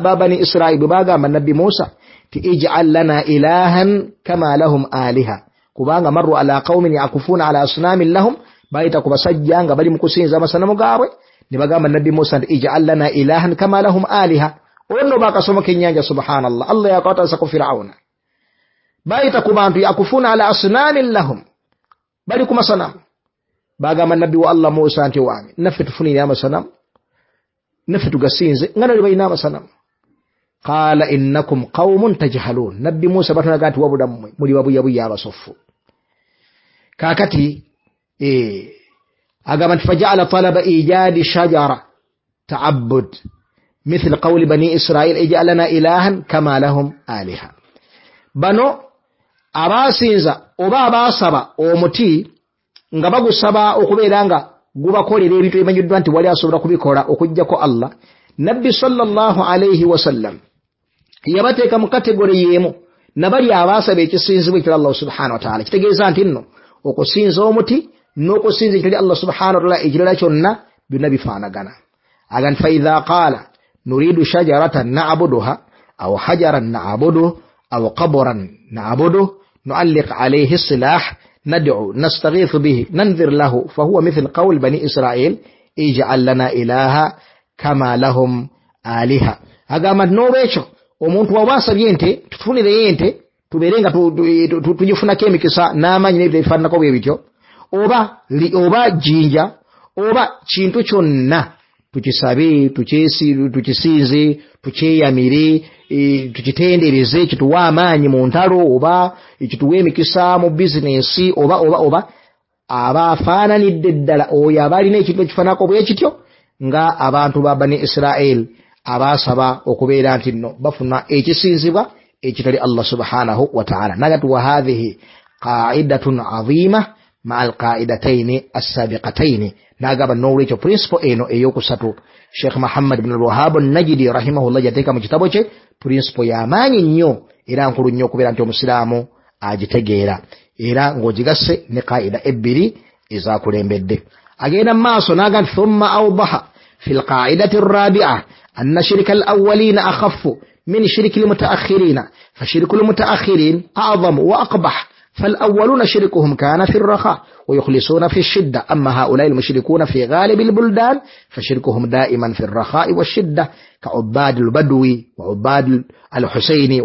ba bani Israili bwe bagamba Nabbi Musa ti ij'al lana ilahan kama lahum aliha, kubanga marru ala qaumin yakufuuna ala asnamin lahum, bayita ku basajja nga bali mu kusinza amasanamu gaabwe, ne bagamba Nabbi Musa nti ij'al lana ilahan kama lahum aliha. Olwo nno baakasomoka ennyanja, subhanallah, Allah yakwatasa ku Firawuna. Bayita ku bantu yakufuuna ala asnamin lahum, bali ku masanamu. Bagamba Nabbi wa Allah Musa nti wange naffe tufunire amasanamu, naffe tugasinze nga nali balina amasanamu. Qaala innakum qaumun tajhalun, Nabbi Musa batunaga nti wabula mmwe muli babuyabuya abasofu. Kaakati eh, agamba nti faja'ala talaba ijadi shajara ta'abbud mithl qawli bani Israil ij'al lana ilahan kama lahum aliha. Bano abasinza oba abaasaba omuti nga bagusaba okubeera nga gubakolera ebintu ebimanyiddwa nti wali asobola kubikola okuggyako Allah, Nabbi sallallahu alaihi wasallam yabateeka mu kategori y'emu nabali abaasaba ekisinzibwa ekitali Allah subhanahu wa ta'ala. Kitegeeza nti nno okusinza omuti n'okusinza ekitali Allah subhanahu wa ta'ala ekirala kyonna byonna bifaanagana. Aga nti faidha qaala nuridu shajaratan na'buduha aw hajaran na'buduhu aw qabran na'buduhu Nualliq alayhi silah, nad'u, nastaghithu bihi, nanzir lahu, fahuwa mithl qawl bani Israel ij'al lana ilaha kama lahum aliha. Agamba n'olwekyo omuntu waba asabye ente tutunireyo ente tubeere nga tugifunako emikisa n'amaanyi n'ebyo ebifaananako bwe bityo, oba oba jjinja oba kintu kyonna tukisabe, tukisinze, tukyeyamire, tukitendereze, kituwe amaanyi mu ntalo oba kituwe emikisa mu bizinensi oba oba oba aba afaananidde ddala oyo aba alina ekintu ekifaananako bwe kityo nga abantu ba bani Israel abaasaba okubeera nti nno bafuna ekisinzibwa ekitali Allah subhanahu wa ta'ala. Nagati wa hadhihi qaidatun azima maa alqaidataini assabiqataini. Nagamba n'olwekyo principle eno eyokusatu Sheikh Muhammad bin Al-Wahhab An-Najdi rahimahullah yateeka mu kitabo kye principle y'amaanyi nnyo era nkulu nnyo okubeera nti omusiraamu agitegeera era ng'ogigasse ne qaida ebbiri ezakulembedde. Agenda mu maaso n'agamba nti thumma awdaha fi lqaidati arrabi'a anna shirika al-awwalina akhaffu min shiriki al-mutaakhirina fashirku al-mutaakhirin a'zamu wa aqbah فالأولون شركهم كان في الرخاء ويخلصون في الشدة، أما هؤلاء المشركون في غالب البلدان فشركهم دائما في الرخاء والشدة كعباد البدوي وعباد الحسيني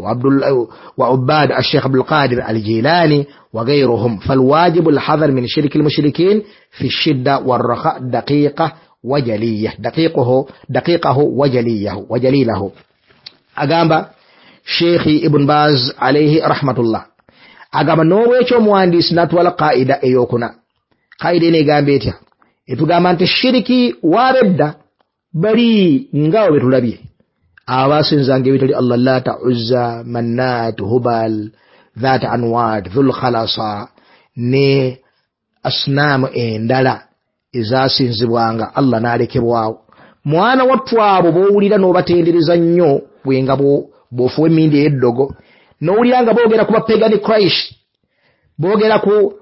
وعباد الشيخ عبد القادر الجيلاني وغيرهم. فالواجب الحذر من شرك المشركين في الشدة والرخاء دقيقة وجلية دقيقه دقيقه وجليه وجليله. أقام شيخي ابن باز عليه رحمة الله agamba n'olwekyo omuwandiisi n'atwala qaida eyokuna. Qaida eno egamba etya? Etugamba nti shiriki w'abedda bali nga bwe tulabye abasinzanga ebitali Allah, Laata, Uzza, Mannat, Hubal, Dhat Anwat, Dhul Khalasa ne asnaamu endala ezasinzibwanga Allah n'alekebwawo. Mwana wattu abo b'owulira n'obatendereza nnyo bwenga bw'ofuwa emmindi ey'eddogo n'owulira nga boogera ku bapagani Christ, boogera ku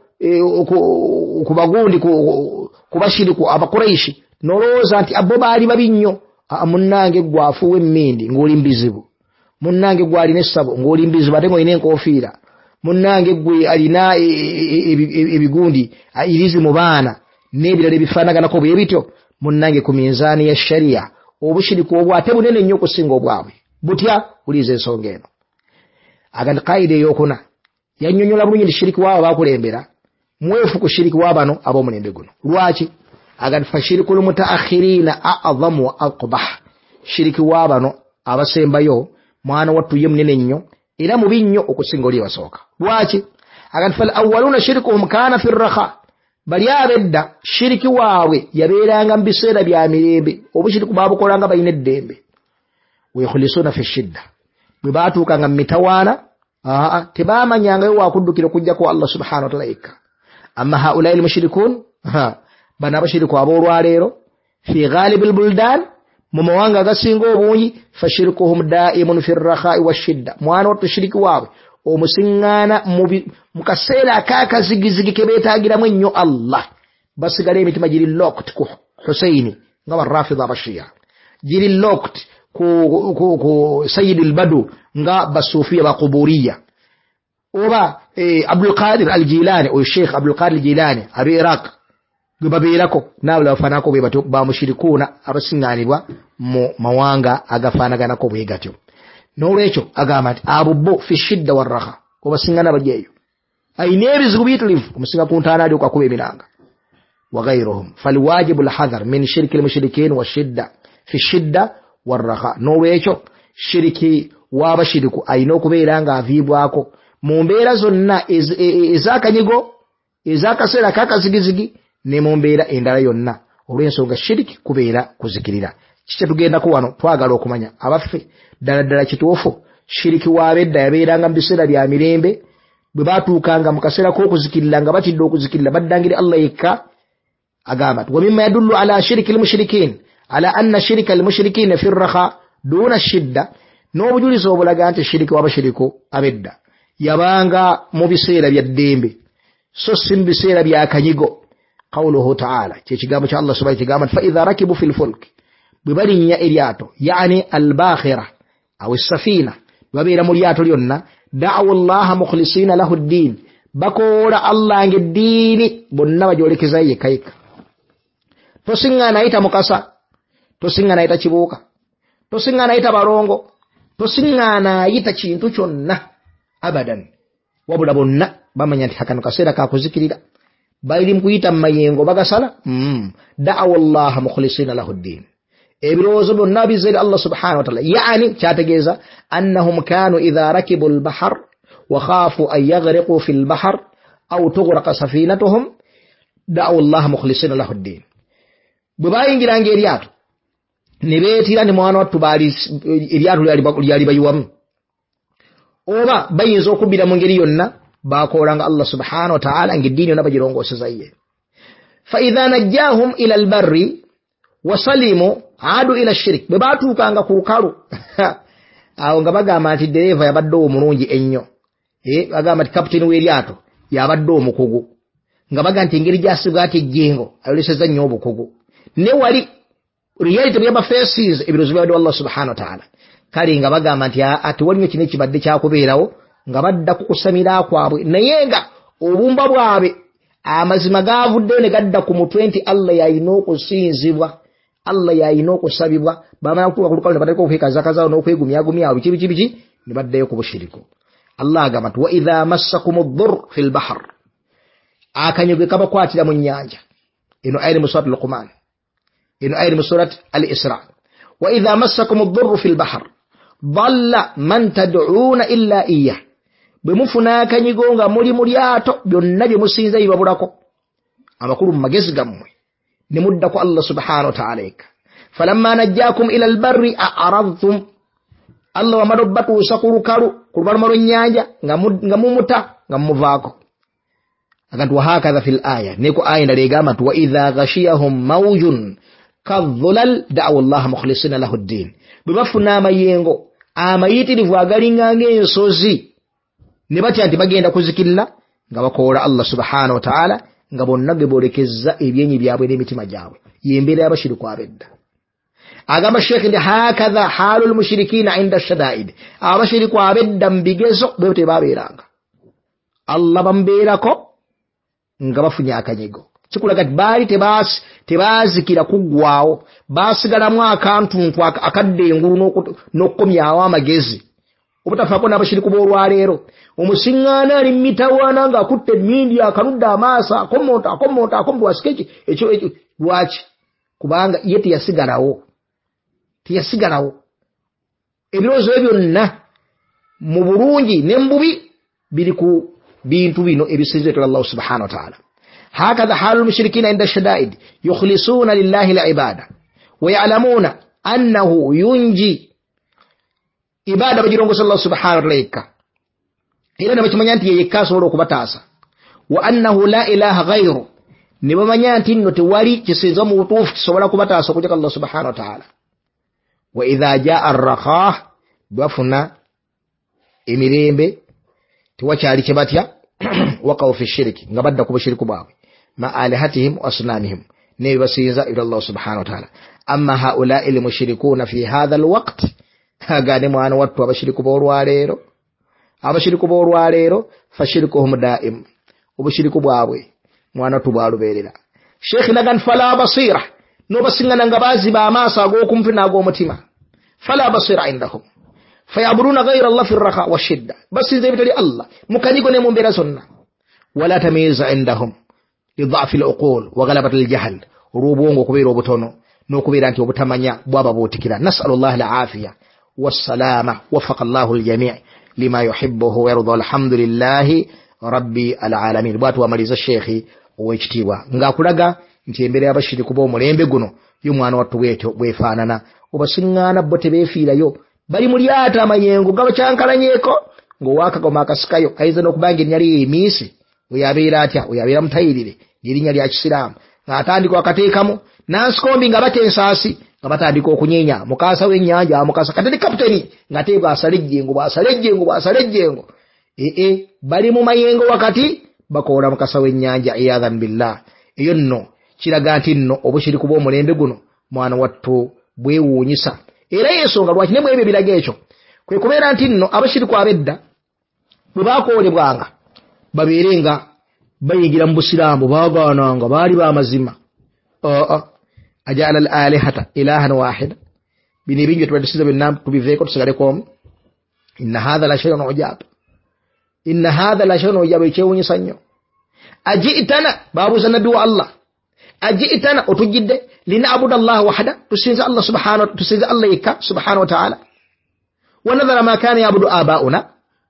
ku bagundi ku bashiriku abakuraishi, n'olowooza nti abo baali babi nnyo. Munnange gwe afuuwa emmindi ng'oli mbizibu, munnange gwe alina essabo ng'oli mbizibu ate ng'olina enkofiira, munnange gwe alina ebigundi irizi mu baana n'ebirala ebifaanaganako bwe bityo. Munnange ku minzaani ya sharia obushiriku obwo ate bunene nnyo okusinga obwabwe. Butya? Wuliza ensonga eno. Agandi qaida eyokuna yannyonnyola bulungi nti shiriki waabo bakulembera mwefu ku shiriki wa bano ab'omulembe guno. Lwaki? Agandi fashiriku lmutaakhirina a'zamu wa aqbah, shiriki wa bano abasembayo mwana wattu ye munene nnyo era mubi nnyo okusinga oli basooka. Lwaki? Agandi fal awwaluna shirikuhum kana fi rrakha, bali abedda shiriki waabwe yabeeranga mu biseera bya mirembe, obushiriku baabukolanga balina eddembe. Wayukhulisuna fi shidda, bwe baatuukanga mu mitawaana aa tebamanyangayo wakuddukira okujjako Allah subhanahu wa ta'ala yekka. Amma haulai almushrikun, bano abashiriku ab'olwaleero fi ghalibi albuldan, mu mawanga agasinga obungi, fashirikuhum daimun fi rrakhai washidda, mwana wattu shiriki waabwe omusiŋŋaana mu kaseera ak'akazigizigi ke beetaagiramu ennyo Allah. Basigala emitima giri locked ku Husaini nga barafidha abashiya, giri locked ku, ku, ku Sayyid al-Badu nga basufiya bakuburiya, oba eh, Abdul Qadir al-Jilani oyo Sheikh Abdul Qadir al-Jilani abe Iraq gwe babeerako n'abalala bafaananako bwe batyo bamushirikuuna abasiŋŋaanibwa mu mawanga agafaanaganako bwe gatyo. N'olwekyo agamba nti abo bo fi shidda warraha, obasiŋŋaana bajja eyo ayina ebizibu biyitirivu, omusinga ku ntaana alyoka akuba emiranga. Wa ghayruhum falwajibu alhadhar min shirki almushrikin washidda fi shidda warraha. N'olwekyo shiriki w'abashiriku ayina okubeera ng'aviibwako mu mbeera zonna ez'akanyigo, ez'akaseera ak'akazigizigi ne mu mbeera endala yonna, olw'ensonga shiriki kubeera kuzikirira. Kiki tugendako wano? Twagala okumanya abaffe ddala ddala kituufu shiriki w'abedda yabeeranga mu biseera bya mirembe, bwe baatuukanga mu kaseera k'okuzikirira nga batidde okuzikirira baddangire Allah yekka. Agamba nti wa mimma yadullu ala shiriki almushrikin ala anna shirika almushrikiina fi rrakha duna shidda, n'obujulizi obulaga nti shiriki w'abashiriku abedda yabanga mu biseera bya ddembe so si mu biseera bya kanyigo. Qawluhu ta'ala, kyekigambo kya Allah subhanahu kigamba nti fa idha rakibu fil fulk, bwe balinnya eryato, yani albakhira aw essafina, babeera mu lyato lyonna, Da'u llaha mukhlisina lahu ddin, bakoola Allah ng'eddiini bonna bagyolekeza yekka yekka. Tosiŋŋaana ayita Mukasa, tosiŋŋaana ayita Kibuuka, tosiŋŋaana ayita Balongo, tosiŋŋaana ayita kintu kyonna abadan. Wabula bonna bamanya nti hakano kaseera kakuzikirira, bali mu kuyita mu mayengo bagasala. mm. Da'u llaha mukhlisina lahu ddin, ebirowoozo byonna bizza eri Allah subhanahu wa ta'ala. Yani kyategeeza annahum kanu idha rakibu lbahar wa khafu an yaghriqu fi lbahar aw tughraqa safinatuhum da'u llaha mukhlisina lahu ddin. Bwe bayingiranga eryato ne beetira ne mwana wattu baali eryato lyali bayiwamu, oba bayinza okubbira mu ngeri yonna, bakoolanga Allah subhanahu wa ta'ala ng'eddiini yonna bagirongooseza ye. Fa idha najjahum ila albarri wasalimu adu ila shirik, bwe batuukanga ku lukalu awo nga bagamba nti ddereeva yabadde omulungi ennyo, eh, bagamba nti kaputeni w'eryato yabadde omukugu, nga bagamba nti engeri gy'asibwa ati ejjengo ayolesezza nnyo obukugu. Ne wali reality byaba faces ebirowoozo byabadde Allah subhanahu wa ta'ala. Kale nga bagamba nti ati waliwo kino ekibadde kyakubeerawo, nga badda ku kusamira kwabwe, naye nga obumba bwabwe amazima gavuddeyo ne gadda ku mutwe nti Allah yalina okusinzibwa, Allah yalina okusabibwa. Bamala kutuuka ku lukalu ne batandika okwekazakazaawo n'okwegumyagumyawo biki biki biki, ne baddayo ku bushiriku. Allah agamba nti wa idha massakum ddurr fi lbahar, akanyigo kabakwatira mu nnyanja. Eno aya eri mu surat Luqman, eno aya eri mu surat Al-Isra. Wa idha massakum ddurru fi lbahar dalla man tad'uuna illa iyyah, bwe mufuna akanyigo nga muli mu lyato byonna bye musinza bibabulako, amakulu mu magezi gammwe ne mudda ku Allah subhanahu wa ta'ala yekka. Falamma najjakum ila albarri a'radtum, Allah wamala obbatuusa ku lukalu ku lubalama lw'ennyanja nga mumuta nga mumuvaako. Agantu wahakadha fil aya, neko aya endala egamba nti wa idha ghashiyahum mawjun kadhulal da'u llaha mukhlisina lahu ddin, bwe bafuna amayengo amayitirivu agalinga ng'ensozi ne batya nti bagenda kuzikirira, nga bakoola Allah subhanahu wa ta'ala, nga bonna ge boolekeza ebyenyi byabwe n'emitima gyabwe. Y'embeera y'abashiriku ab'edda. Agamba Sheikh nti hakadha haalu lmushirikiina inda shadaid, abashiriku ab'edda mu bigezo bwe tebabeeranga, Allah bamubeerako nga bafunye akanyigo. Kikulaga nti baali tebaazikira kuggwawo, baasigalamu akantuntu akadda engulu n'okukomyawo amagezi, obutafaako n'abashiriku b'olwaleero. Omusiŋŋaana ali mitawaana ng'akutte emmindi akanudde amaaso akomonta akomonta akomonta wasika eki ekyo ekyo. Lwaki? Kubanga ye teyasigalawo, teyasigalawo. Ebirowoozo bye byonna mu bulungi ne mu bubi biri ku bintu bino ebisinzibwa Allah subhanahu wa ta'ala. Hakadha halu lmushirikina inda shadaid yukhlisuna lillahi alibada wa ya'lamuna annahu yunji, ibada bagirongosa Allah subhanahu wa ta'ala yekka, era ne bakimanya nti ye yekka asobola okubataasa. Wa annahu la ilaha ghayru, ne bamanya nti nno tewali kisinza mu butuufu kisobola kubataasa okujjako Allah subhanahu wa ta'ala. Wa idha jaa arrakhah, bafuna emirembe tewakyali kye batya, waqaw fi shiriki, nga badda ku bushiriku bwabwe, ma alihatihim wa asnamihim, n'ebibasinza eri Allah subhanahu wa ta'ala. Amma haulai lmushirikuuna fi hadha alwaqt, agane mwana wattu abashiriku b'olwaleero, abashiriku b'olwaleero fashirikuhum daim, obushiriku bwabwe mwana wattu bwalubeerera. Sheikh nagan fala basira, n'obasiŋŋana nga baaziba amaaso ag'okumpi n'ag'omutima. Fala basira indahum fayabuduna ghayra Allah fi rraha washidda, basinza ebitali Allah mu kanyigo ne mu mbeera zonna. Wala tamyiza indahum lidhafi luqul wa ghalabati aljahl, olw'obwongo okubeera obutono n'okubeera nti obutamanya bwababuutikira. Nasalu llah alafiya wassalama, wafaqa llahu aljami lima yuhibbuhu wayarda, alhamdulillahi rabbi alalamin. Bwatu wamaliza Sheikhi ow'ekitiibwa ng'akulaga nti embeera y'abashiriku b'omulembe guno yo mwana wattu bwetyo bwefaanana. Obasiŋŋaana bo tebeefiirayo, bali mu lyato amayengo gabakyankalanyeeko, ng'owaakagoma akasikayo ayinza n'okuba nga erinnya lye emiisi, oyo abeera atya? Oyo abeera mutayirire ng'erinnya lya kisiraamu, ng'atandika akateekamu nansikombi nga bata ensaasi, nga batandika okunyeenya mukasa w'ennyanja mukasa kati ne kaputeni ng'ate bw'asala ejjengo bw'asala ejjengo bw'asala ejjengo. Ee bali mu mayengo wakati bakoola mukasa w'ennyanja, iyadhan billah. Eyo nno kiraga nti nno obushiriku bw'omulembe guno mwana wattu bwewuunyisa. Era y'ensonga lwaki ne mu ebyo ebiraga ekyo kwe kubeera nti nno abashiriku ab'edda Bwe bakoolebwanga babeere nga bayingira mu busiraamu, baagaananga, baali b'amazima. Aa ajala al alihata ilahan wahida, bino ebingi tubadde byonna tubiveeko tusigaleko omu. Inna hadha la shay'un ujab, inna hadha la shay'un ujab, ekyewuunyisa nnyo. Ajitana, babuuza nabbi wa Allah, ajitana, otujjidde linaabuda Allah wahda, tusinze Allah subhanahu, tusinze Allah yekka subhanahu wa ta'ala, wa nadhara ma kana yabudu abauna,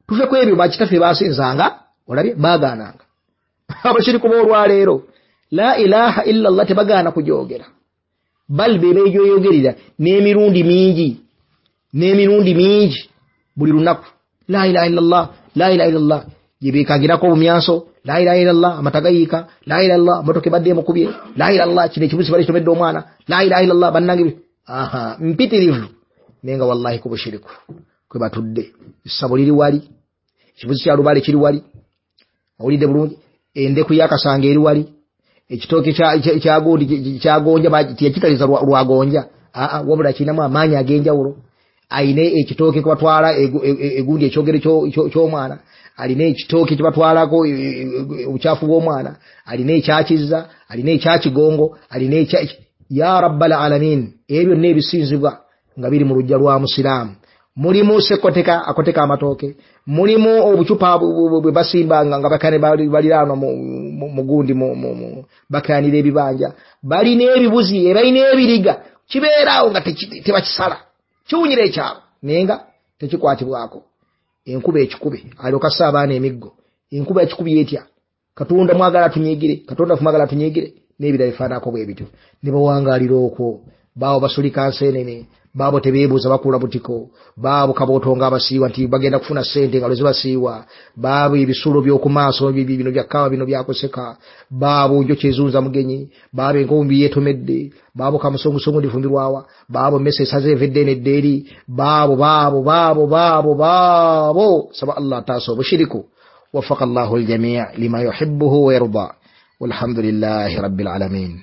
tuve ku ebyo bakitaffe basinzanga. Olabye baagaananga abashiriku b'olwaleero la ilaha illa Allah tebagaana kugyogera, bal be beegyoyogerera n'emirundi mingi, n'emirundi mingi buli lunaku. La ilaha illa Allah, la ilaha illa Allah, gye beekangirako obumyanso, la ilaha illa Allah, amata gayiika, la ilaha illa Allah, motoka ebadde emukubye, la ilaha illa Allah, kino ekibuzi bali kitomedde omwana, la ilaha illa Allah, bannange aha mpitirivu. Naye nga wallahi ku bushiriku kwe batudde. Essabo liri wali, ekibuzi kya lubaale kiri wali, owulidde bulungi, endeku y'akasanga eri wali, ekitooke kyagundi kyagonja teyakitaliza lwagonja, aa wabula kirinamu amaanyi ag'enjawulo. Ayina ekitooke kyebatwala egundi ekyogero ky'omwana, alina ekitooke kyebatwalako obukyafu bw'omwana, alina ekyakizza, alina ekyakigongo, alina ekya ya rabbal alamin. Ebyo byonna ebisinzibwa nga biri mu luggya lwa musiraamu. Mulimu sekoteka akoteka amatooke, mulimu obucupa bwe basimba nga bakane baliraanwa mu gundi bakaanira ebibanja, balina ebibuzi, balina ebiriga, kibeeraawo nga tebakisala, kiwunyira ekyalo naye nga tekikwatibwako. Enkuba ekikube, alyoka assa abaana emiggo. Enkuba ekikubye etya? Katonda mwagala tunyigire, Katonda mwagala tunyigire, n'ebirala bifaananako bwe bityo. Ne bawangaalira okwo, baabo basulika nseenene, baabo tebeebuuza bakuula butiko, baabo kabootonga abasiiwa nti bagenda kufuna ssente nga lwe zibasiiwa, baabo ebisulo by'oku maaso bino bya kkaawa bino byakuseka, baabo njoki ezunza mugenyi, baabo enkumbi yeetomedde, baabo kamusongusungu ndifumbirwawa, baabo mmese esaze eva edda eno edda eri, baabo baabo baabo baabo baabo. Saba Allah ataasa obushiriku. Wafaka Allahu aljamii lima yuhibbuhu wa yarda, walhamdulillahi rabbil alamin.